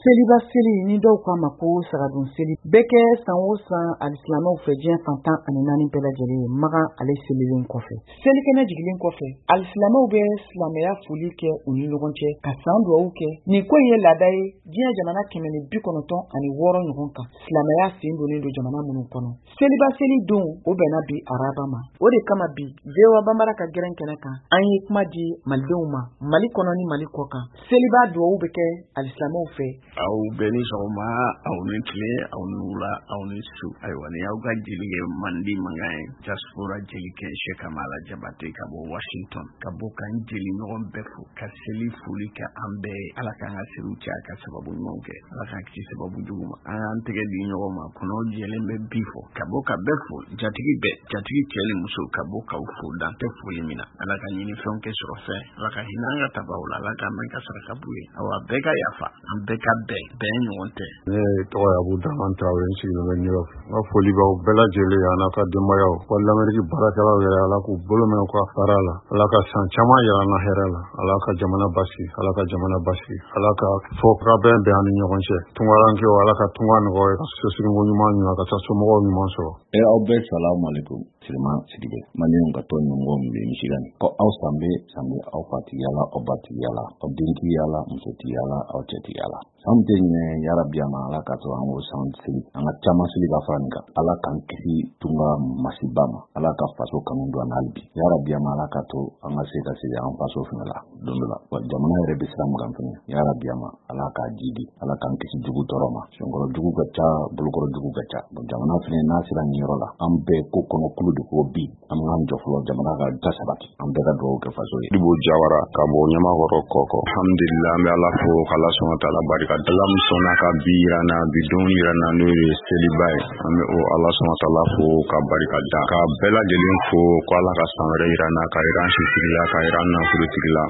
Seliba seli ni dɔw k'a ma ko sagadon seli bɛ kɛ san o san alisilamɛw fɛ diɲɛ fan 14 bɛɛ lajɛlen ye. Makan ale selilen kɔfɛ, selikɛnɛ jigilen kɔfɛ, alisilamɛw bɛ silamɛya foli kɛ u ni ɲɔgɔn cɛ ka san duwawu kɛ. Nin ko in ye laada ye diɲɛ jamana 196 ɲɔgɔn kan, silamɛya sen donnen don jamana minnu kɔnɔ. Seliba seli don o bɛnna bi araba ma. O de kama bi VOA Bambara ka gɛrɛn kɛnɛ kan, an ye kuma di malidenw ma Mali kɔnɔ ni Mali kɔ kan. Seliba duwawu bɛ kɛ alisilamɛw fɛ. Aw bɛɛ ni sɔgɔma, aw ni tile, aw ni wula, aw ni su. Ayiwa, ni y'aw ka jelikɛ mandi mankan ye, diaspora jelikɛ Sekamala Jabate ka bɔ Washington, ka bɔ k'an jeli ɲɔgɔn bɛɛ fo, ka seli foli kɛ an bɛɛ ye. Ala k'an ka seliw caya ka sababu ɲumanw kɛ, Ala k'an kisi sababu jugu ma. An k'an tɛgɛ di ɲɔgɔn ma, kɔnɔw jɛlen bɛ bi fɔ, ka bɔ ka bɛɛ fo, jatigi bɛɛ, jatigi cɛ ni muso, ka bɔ k'aw fo dan tɛ foli min na. Ala ka ɲini fɛnw kɛ sɔrɔ fɛn, Ala ka hinɛ an ka tabaw la, Ala k'an mɛn ka saraka b'u ye. Awa, bɛɛ ka yafa, an bɛɛ ka bɛn, bɛn ɲɔgɔn tɛ. Ne tɔgɔ ye Abu Dramane Traoré, n sigilen bɛ New York. N ka foli b'aw bɛɛ lajɛlen ye, a n'a ka denbayaw, wa l'Amérique baarakɛlaw yɛrɛ, Ala k'u bolo mɛn u ka baara la, Ala ka san caman yira an na hɛrɛ la, Ala ka jamana basigi, Ala ka jamana basigi, Ala ka fɔkabɛn bɛn an ni ɲɔgɔn cɛ. Tungarankew, Ala ka tunga nɔgɔya, ka sosirinko ɲuman ɲuman, ka taa somɔgɔw ɲuman sɔrɔ. E aw bɛɛ salamu alaikum. Sirima Sidibe, maliyɛnw ka tɔn ɲɛmɔgɔ min bɛ Michigan, ko aw sanbɛ sanbɛ, aw fatigiya la, aw batigiya la, aw dentigiya la, musotigiya la, aw cɛtigiya la. San tɛ ɲinɛ yarabi a ma, Ala k'a to an k'o san seli, an ka caman seli ka fara nin kan. Ala k'an kisi tunga masiba ma, Ala ka faso kanu don an na hali bi yarabi a ma, Ala k'a to an ka se ka segin an faso fana la don dɔ la. Wa jamana yɛrɛ bɛ sira min kan fɛnɛ, yarabi a ma, Ala k'a jidi, Ala k'an kisi jugu tɔɔrɔ ma. Senkɔrɔ jugu ka ca, bolokɔrɔ jugu ka ca. Jamana fɛnɛ n'a sera nin yɔrɔ la, an bɛɛ ko kɔnɔ kulu de ko bi an k'an jɔ fɔlɔ, jamana ka da sabati, an bɛɛ ka dugawu kɛ faso ye. Ibu Jawara ka bɔ Ɲamakɔrɔ Kɔkɔ. Alhamdulillah, an bɛ Ala fo k'Ala sɔn ka taala barika. Ala min sɔnna ka bi yira n na, bi don yira n na, n'o ye seliba ye, an bɛ o Ala sɔn ka taala fo ka barika da, ka bɛɛ lajɛlen fo ko Ala ka san wɛrɛ yira n na, ka yira an sitigi la, ka yira an nafolotigi la.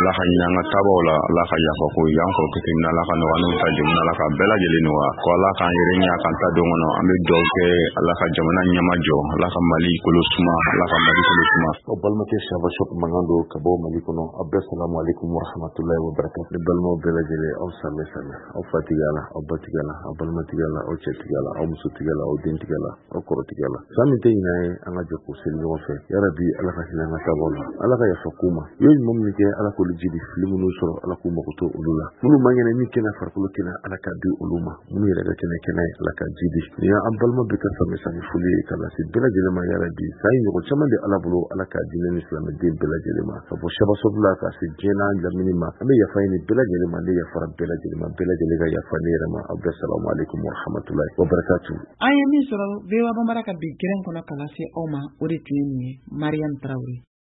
Ala ka ɲinɛ an ka tabaw la, Ala ka yafa ko y'an kɔrɔkɛ tɛmɛna, Ala ka nɔgɔya n'u ta jamana, Ala ka bɛɛ lajɛlen nɔgɔya, ko Ala k'an yɛrɛ ɲɛ k'an ta don kɔnɔ. An bɛ dugawu kɛ Ala ka jamana ɲɛma jɔ, Ala ka Mali kolo suma, Ala ka Mali kolo suma. Aw balimakɛ Saba Shop mankan don ka bɔ Mali kɔnɔ. Aw bɛɛ salamu alaikum warahmatullahi wabarakatuh. Ne balimaw bɛɛ lajɛlen, aw sanbɛ sanbɛ, aw fatigiya la, aw batigiya la, aw balimatigiya la, aw cɛtigiya la, aw musotigiya la, aw dentigiya la, aw kɔrɔtigiya la. San min tɛ ɲinɛ ye, an ka jɛ k'o seli ɲɔgɔn fɛ. Yarabi, Ala ka hinɛ an ka taabaw la, Ala ka yafa k'u ma. U ye ɲuman minnu kɛ, Ala k'olu jidi, fili minnu sɔrɔ, Ala k'u mago to olu la. Minnu man kɛnɛ min kɛnɛ farikolo kɛnɛ, Ala ka di olu ma. Minnu yɛrɛ ka kɛnɛ kɛnɛ, Ala ka jidi. Nin y'an balima bɛɛ ka sanbɛ sanbɛ foli ye ka lase bɛɛ lajɛlen ma. Yarabi, san ye ɲɔgɔn caman di Ala bolo, Ala k'a di ne ni silamɛden bɛɛ lajɛlen ma, ka bɔ Saba la ka se diɲɛ n'a lamini ma. An bɛ yafa ɲini bɛɛ lajɛlen ma, ne yafara bɛɛ lajɛlen ma, bɛɛ lajɛlen ka yafa ne yɛrɛ ma. Aw bɛɛ salamu alaikum warahmatullahi wabarakatuh. An ye min sɔrɔ VOA Bambara ka bi gɛrɛn kɔnɔ ka lase aw ma, o de tun ye nin ye. Mariam Traoré.